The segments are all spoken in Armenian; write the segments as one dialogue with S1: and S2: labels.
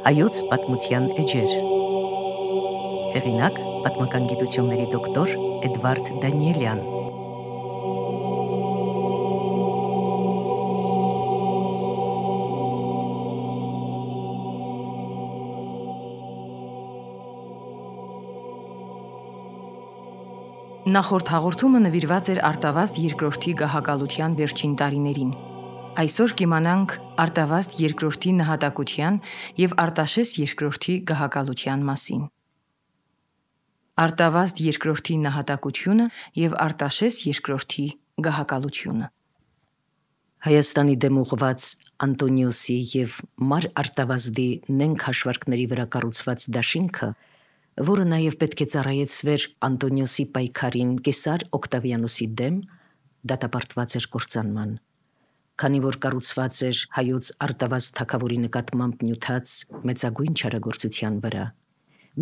S1: Հայոց պատմության էջեր։ Հեղինակ պատմական գիտությունների դոկտոր Էդվարդ Դանիելյան։ Նախորդ հաղորդումը նվիրված էր Արտավազդ II գահակալության վերջին տարիներին։ Այսօր կիմանանք Արտավազդ II նահատակության և Արտաշես II գահակալության մասին։ Արտավազդ II նահատակությունը և Արտաշես II գահակալությունը։ Հայաստանի դեմ ուղղված Անտոնիոսի և Մար Արտավազդի նենգ հաշվարկների վրա կառուցված դաշինքը, որը նաև պետք է ծառայեցվեր Անտոնիոսի պայքարին Կեսար Օկտավիանոսի դեմ, դատապարտված էր կործանման, քանի որ կառուցված էր հայոց Արտավազդ թագավորի նկատմամբ նյութած մեծագույն չարագործության վրա։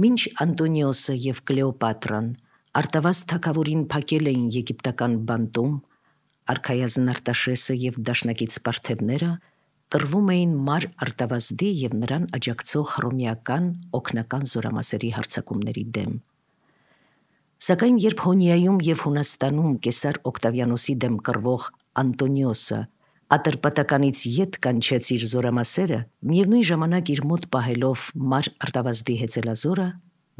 S1: Մինչ Անտոնիոսը և Կլեոպատրան Արտավազդ թագավորին փակել էին եգիպտական բանտում, արքայազն Արտաշեսը և դաշնակից պարթևները կռվում էին Մար Արտավազդի և նրան աջակցող հռոմեական օգնական զորամասերի հարձակումների դեմ։ Սակայն երբ Հոնիայում և Հունաստանում Կեսար Օկտավիանոսի դեմ կռվող Անտոնիոսը Ատրպատականից ետ կանչեց իր զորամասերը, միևնույն ժամանակ իր մոտ պահելով Մար Արտավազդի հեծելազորը,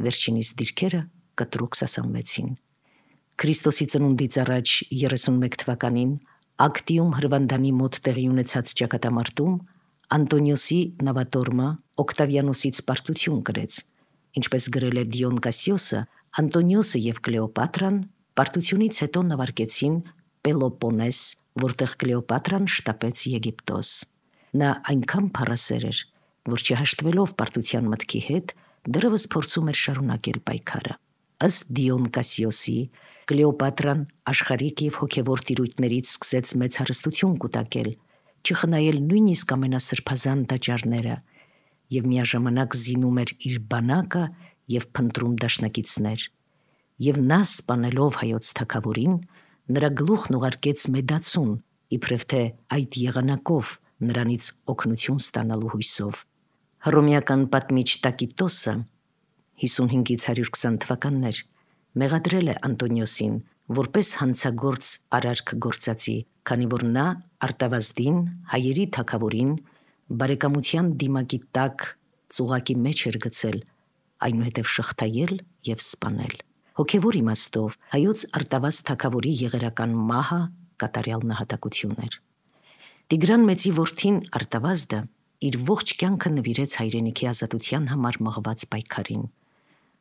S1: վերջինիս դիրքերը կտրուկ սասանվեցին։ Քրիստոսի ծնունդից առաջ 31 թվականին Ակտիում Հրվանդանի մոտ տեղի ունեցած ճակատամարտում Անտոնիոսի նավատորմը Օկտավիանոսից պարտություն կրեց, ինչպես գրել է Դիոն Կասիոսը, Անտոնիոսը և Կլեոպատրան պարտությունից հետո նավարկեցին Պելոպոնես, որտեղ Կլեոպատրան շտապեց Եգիպտոս։ Նա այնքան փառասեր էր, որ չհաշտվելով պարտության մտքի հետ, դեռևս փորձում էր շարունակել պայքարը։ Ըստ Դիոն Կասիոսի, Կլեոպատրան աշխարհիկ և հոգևոր տիրույթներից սկսեց մեծ հարստություն կուտակել, չխնայել նույնիսկ ամենասրբազան տաճարները, և միաժամանակ զինում էր իր բանակը և փնտրում դաշնակիցներ։ Եվ նա, սպանելով հայոց թագավորին, նրա գլուխն ուղարկեց Մեդացուն, իբրև թե այդ եղանակով նրանից օգնություն ստանալու հույսով։ Հռոմեական պատմիչ Տակիտոսը 55-120 թվականներ մեղադրել է Անտոնիոսին որպես հանցագործ արարք գործածի, քանի որ նա Արտավազդին, հայերի թագավորին, բարեկամության դիմակի տակ ծուղակի մեջ էր գցել, այնուհետև շղթայել և սպանել։ Հոգևոր իմաստով հայոց Արտավազդ թագավորի եղերական մահը կատարյալ նահատակություն էր։ Տիգրան Մեծի որդին Արտավազդը իր ողջ կյանքը նվիրեց հայրենիքի ազատության համար մղված պայքարին։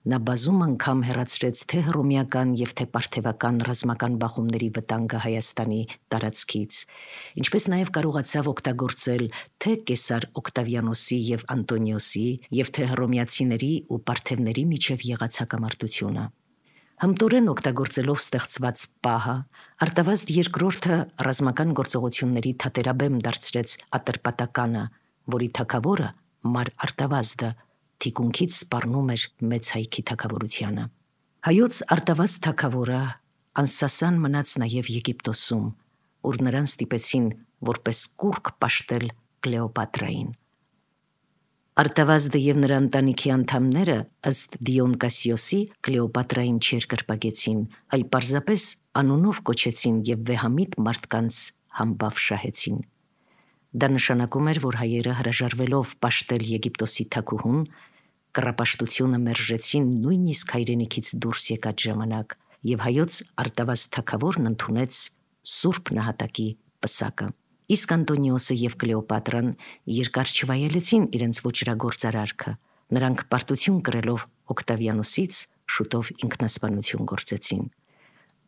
S1: Նա բազում անգամ հեռացրեց թե հռոմեական և թե պարթևական ռազմական բախումների վտանգը Հայաստանի տարածքից, ինչպես նաև կարողացավ օգտագործել թե Կեսար Օկտավիանոսի և Անտոնիոսի և թե հռոմեացիների ու պարթևների միջև եղած հակամարտությունը։ Հմտորեն օգտագործելով ստեղծված պահը, Արտավազդ II ռազմական գործողությունների թատերաբեմ դարձրեց Ատրպատականը, որի թագավորը Մար Արտավազդը թիկունքից սպառնում էր մեծ հայքի թագավորությանը։ Հայոց Արտավազդ թագավորը անսասան մնաց նաև Եգիպտոսում, ուր նրան ստիպեցին որպես կուռք պաշտել Կլեոպատրային։ Արտավազդը և նրա ընտանիքի անդամները, ըստ Դիոն Կասիոսի, Կլեոպատրային չերկրպագեցին, այլ պարզապես անունով կոչեցին և վեհամիտ մարդկանց համբավ շահեցին։ Դա նշանակում էր, որ հայերը հրաժարվելով պաշտել Եգիպտոսի թագուհուն, կռապաշտությունը մերժեցին նույնիսկ հայրենիքից դուրս եկած ժամանակ, և հայոց Արտավազդ թագավորն ընդունեց սուրբ նահատակի պսակը։ Իսկ Անտոնիոսը և Կլեոպատրան երկար չվայելեցին իրենց ոճրագործ արարքը, նրանք պարտություն կրելով Օկտավիանոսից շուտով ինքնասպանություն գործեցին։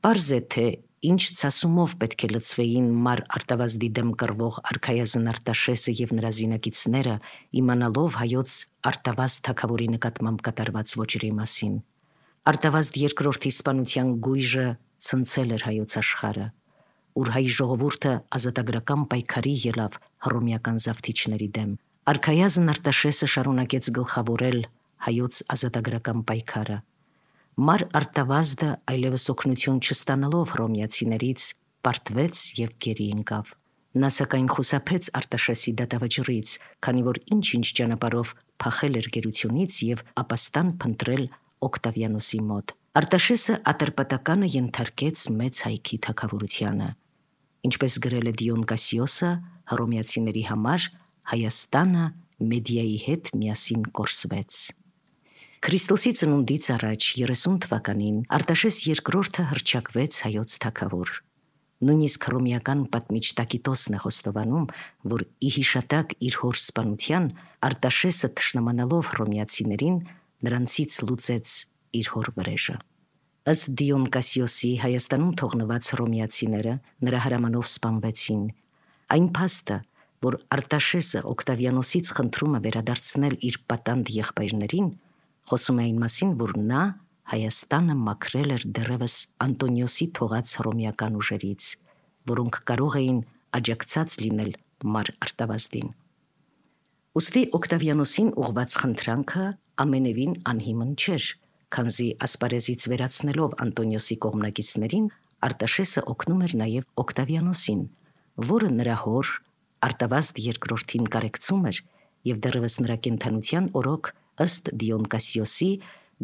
S1: Պարզ է, թե ինչ ցասումով պետք է լցվեին Մար Արտավազդի դեմ կռվող արքայազն Արտաշեսը և նրա զինակիցները, իմանալով հայոց Արտավազդ թագավորի նկատմամբ կատարված ոճերի մասին։ Արտավազդ II-ի սպանության գույժը ցնցել էր հայոց աշխարհը, ուր հայ ժողովուրդը ազատագրական պայքարի ելավ հռոմեական զավթիչների դեմ։ Արքայազն Արտաշեսը շարունակեց գլխավորել հայոց ազատագրական պայքարը։ Մար Արտավազդը այլևս օգնություն չստանալով հռոմեացիներից պարտվեց և գերի ընկավ։ Նա սակայն խուսափեց Արտաշեսի դատավճռից, քանի որ ինչ-ինչ ճանապարհով փախել էր գերությունից եւ ապաստան փնտրել Օկտավիանոսի մոտ։ Արտաշեսը ատրպատականը ենթարկեց մեծ հայքի թագավորությանը։ Ինչպես գրել է Դիոն Կասիոսը, հռոմեացիների համար Հայաստանը Մեդիայի հետ միասին կորսվեց։ Քրիստոսի ծնունդից առաջ 30 թվականին Արտաշես II հռչակվեց հայոց թագավոր։ Նույնիսկ հռոմեական պատմիչ Տակիտոսն է խոստովանում, որ ի հիշատակ իր հոր սպանության Արտաշեսը թշնամանալով հռոմեացիներին նրանցից լուծեց իր հոր վրեժը։ Ըստ Դիոն Կասիոսի Հայաստանում թողնված հռոմեացիները նրա հրամանով սպանվեցին։ Այն փաստը, որ Արտաշեսը Օկտավիանոսից խնդրում է վերադարձնել իր պատանդ եղբայրներին, խոսում է այն մասին, որ նա Հայաստանը մաքրել էր դեռևս Անտոնիոսի թողած հռոմեական ուժերից, որոնք կարող էին աջակցած լինել Մար Արտավազդին։ Ուստի Օկտավիանոսին ուղված խնդրանքը ամենևին անհիմն չէր, քանզի ասպարեզից վերացնելով Անտոնիոսի կողմնակիցներին Արտաշեսը օգնում էր նաև Օկտավիանոսին, որը նրա հոր Արտավազդ II-ին կարեկցում էր եւ դեռևս նրա կենդանության օրոք ըստ Դիոն Կասիոսի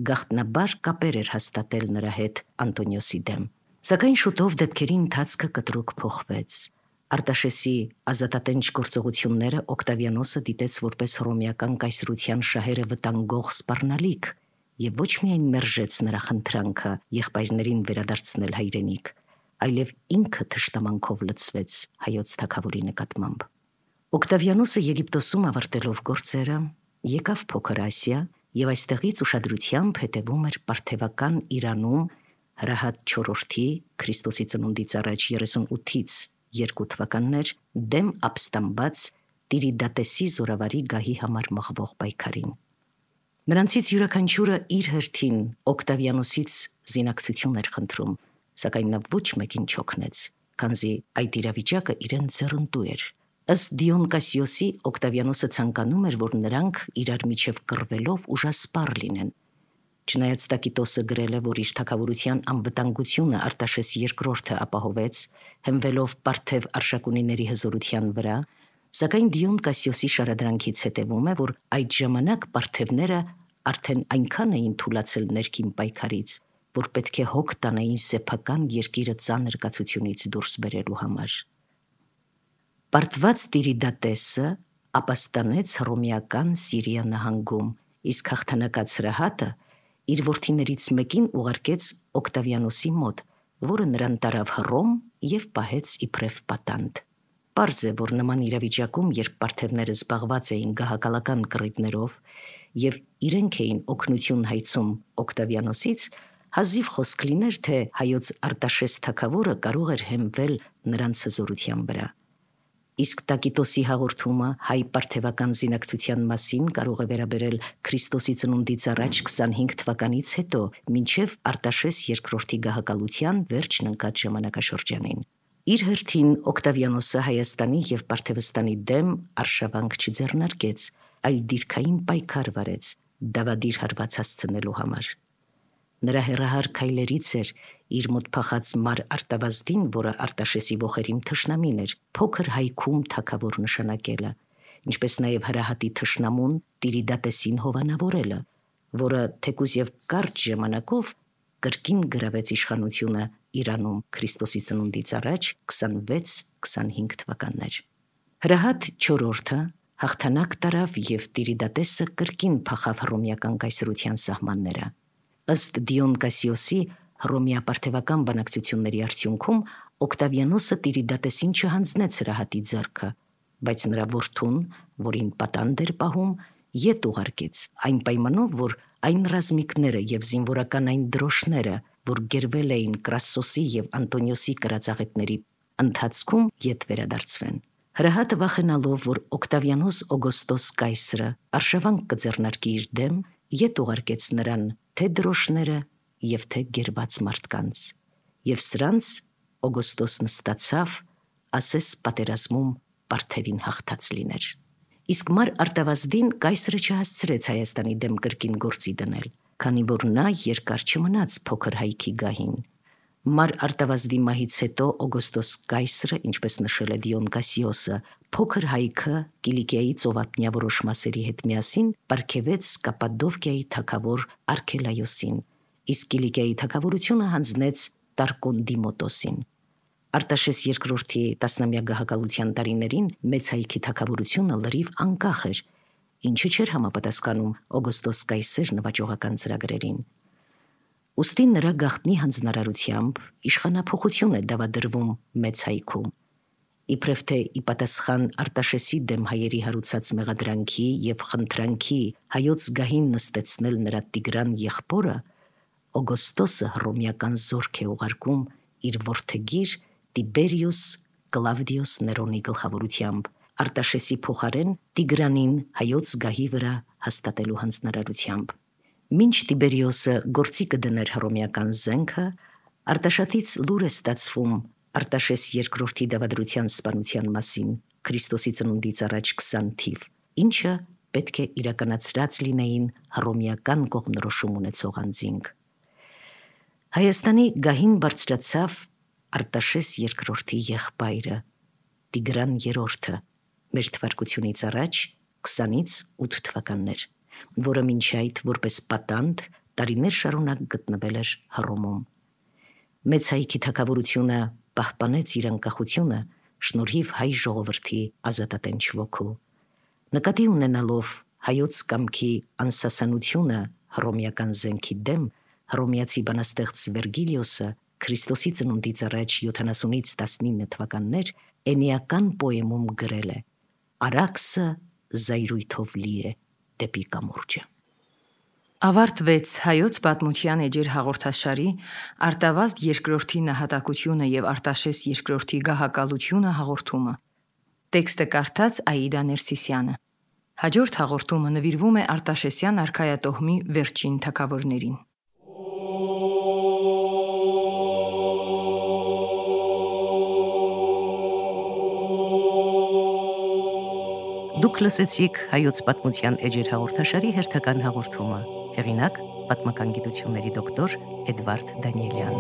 S1: գաղտնաբար կապեր էր հաստատել նրա հետ Անտոնիոսի դեմ։ Սակայն շուտով դեպքերի ընթացքը կտրուկ փոխվեց։ Արտաշեսի ազատատենչ գործողությունները Օկտավիանոսը դիտեց որպես հռոմեական կայսրության շահերը վտանգող սպառնալիք եւ ոչ միայն մերժեց նրա խնդրանքը եղբայրներին վերադարձնել հայրենիք, այլև ինքը թշնամանքով լցվեց հայոց թագավորի նկատմամբ։ Օկտավիանոսը Եգիպտոսում ավարտելով գործերը եկավ Փոքր Ասիա եւ այստեղից ուշադրությամբ հետևում էր Պարթևական Իրանում Հրահատ IV Քրիստոսի ծնունդից առաջ 38-ից 2 թվականներ դեմ ապստամբած Տիրիդատեսի զորավարի գահի համար մղվող պայքարին։ Նրանցից յուրաքանչյուրը իր հերթին Օկտավիանոսից զինակցություն էր խնդրում, սակայն նա ոչ մեկին չօգնեց, քանզի այդ իրավիճակը իրեն ձեռնտու էր։ Ըստ Դիոն Կասիոսի Օկտավիանոսը ցանկանում էր, որ նրանք իրար միջև կռվելով ուժասպառ լինեն։ Չնայած Տակիտոսը գրել է, որ իր թագավորության անվտանգությունը Արտաշես II ապահովեց, հենվելով Պարթև արշակունիների հզորության վրա, սակայն Դիոն Կասիոսի շարադրանքից հետևում է, որ այդ ժամանակ պարթևները արդեն այնքան էին թուլացել ներքին պայքարից, որ պետք է հոգ տանային սեփական երկիրը ծանր կացությունից դուրս բերելու համար։ Պարտված Տիրիդատեսը ապաստանեց հռոմեական Սիրիա նահանգում, իսկ հաղթանակած Հրահատը իր որդիներից մեկին ուղարկեց Օկտավիանոսի մոտ, որը նրան տարավ Հռոմ եւ պահեց իբրև պատանդ։ Պարզ է, որ նման իրավիճակում, երբ պարթևները զբաղված էին գահակալական կռիվներով եւ իրենք էին օգնություն հայցում Օկտավիանոսից, հազիվ խոսք լիներ, թե հայոց Արտաշես թագավորը կարող էր հենվել նրանց հզորության վրա։ Իսկ Տակիտոսի հաղորդումը հայ-պարթևական զինակցության մասին կարող է վերաբերել Քրիստոսի ծնունդից առաջ 25 թվականից հետո, մինչև Արտաշես II գահակալության վերջն ընկած ժամանակաշրջանին։ Իր հերթին Օկտավիանոսը Հայաստանի եւ Պարթևստանի դեմ արշավանք չձեռնարկեց, այլ դիրքային պայքար վարեց դավադիր հարված հասցնելու համար։ Նրա հեռահար քայլերից էր իր մոտ փախած Մար Արտավազդին, որը Արտաշեսի ոխերիմ թշնամին էր, փոքր հայքում թագավոր նշանակելը, ինչպես նաև Հրահատի թշնամուն Տիրիդատեսին հովանավորելը, որը թեկուզ եւ կարճ ժամանակով կրկին գրավեց իշխանությունը Իրանում Քրիստոսի ծնունդից առաջ 26-25 թվականներ։ Հրահատ IV հաղթանակ տարավ եւ Տիրիդատեսը կրկին փախավ հռոմեական կայսրության սահմանները։ Ըստ Դիոն Կասիոսի հռոմեա-պարթևական բանակցությունների արդյունքում Օկտավիանոսը Տիրիդատեսին չհանձնեց Հրահատի ձեռքը, բայց նրա որդուն, որին պատանդ էր պահում, ետ ուղարկեց, այն պայմանով, որ այն ռազմիկները եւ զինվորական այն դրոշները, որ գերվել էին Կրասսոսի եւ Անտոնիոսի կրածաղետների ընթացքում, ետ վերադարձվեն։ Հրահատը վախենալով, որ Օկտավիանոս Օգոստոս կայսրը արշավանք կձեռնարկի իր դեմ, ետ ուղարկեց նրան թե դրոշները եւ թե գերված մարդկանց, եւ սրանց Օգոստոսն ստացավ, ասես պատերազմում Պարթևին հաղթած լիներ։ Իսկ Մար Արտավազդին կայսրը չհասցրեց Հայաստանի դեմ կրկին գործի դնել, քանի որ նա երկար չմնաց փոքր հայքի գահին։ Մար Արտավազդի մահից հետո Օգոստոս կայսրը, ինչպես նշել է Դիոն Կասիոսը, փոքր հայքը Կիլիկիայի ծովափնյա որոշ մասերի հետ միասին պարգևեց Կապադովկիայի թագավոր Արքելայոսին, իսկ Կիլիկիայի թագավորությունը հանձնեց Տարկոնդիմոտոսին։ Արտաշես II-ի տասնամյա գահակալության տարիներին մեծ հայքի թագավորությունը լրիվ անկախ էր, ինչը չէր համապատասխանում Օգոստոս Կայսեր նվաճողական ծրագրերին։ Ուստի նրա գաղտնի հանձնարարությամբ իշխանափոխություն է դավադրվում մեծ հայքում։ Իբրև թե ի պատասխան Արտաշեսի դեմ հայերի հարուցած մեղադրանքի և խնդրանքի հայոց գահին նստեցնել նրա Տիգրան եղբորը, Օգոստոսը հռոմեական զորք է ուղարկում իր որդեգիր Տիբերիուս Կլավդիոս Ներոնի գլխավորությամբ Արտաշեսի փոխարեն Տիգրանին հայոց գահի վրա հաստատելու հանձնարարությամբ։ Մինչ Տիբերիոսը գործի կդներ հռոմեական զենքը, Արտաշատից լուր է ստացվում Արտաշես II-ի դավադրության սպանության մասին Քրիստոսի ծնունդից առաջ 20 թիվ, ինչը պետք է իրականացրած լինեին հռոմեական կողմնորոշում ունեցող անձինք։ Հայաստանի գահին բարձրացավ Արտաշես II-ի եղբայրը Տիգրան III, մեր թվարկությունից առաջ 20-ից 8 թվականներ, որը մինչ այդ որպես պատանդ տարիներ շարունակ գտնվել էր Հռոմում։ Մեծ հայքի թագավորությունը պահպանեց իր անկախությունը շնորհիվ հայ ժողովրդի ազատատենչ ոգու։ Նկատի ունենալով հայոց կամքի անսասանությունը հռոմեական զենքի դեմ, հռոմեացի բանաստեղծ Վերգիլիոսը Քրիստոսի ծնունդից առաջ 70-ից 19 թվականներ էնիական պոեմում գրել է. «Արաքսը զայրույթով լի է դեպի կամուրջը»։ Ավարտվեց հայոց պատմության էջեր հաղորդաշարի Արտավազդ II-ի նահատակությունը և Արտաշես II-ի գահակալությունը հաղորդումը։ Տեքստը կարդաց Աիդա Ներսիսյանը։ Հաջորդ հաղորդումը նվիրվում է Արտաշեսյան արքայատոհմի վերջին թագավորներին։ Դուք լսեցիք հայոց պատմության էջեր հաղորդաշարի հերթական հաղորդումը։ Հեղինակ՝ պատմական գիտությունների դոկտոր Էդվարդ Դանիելյան։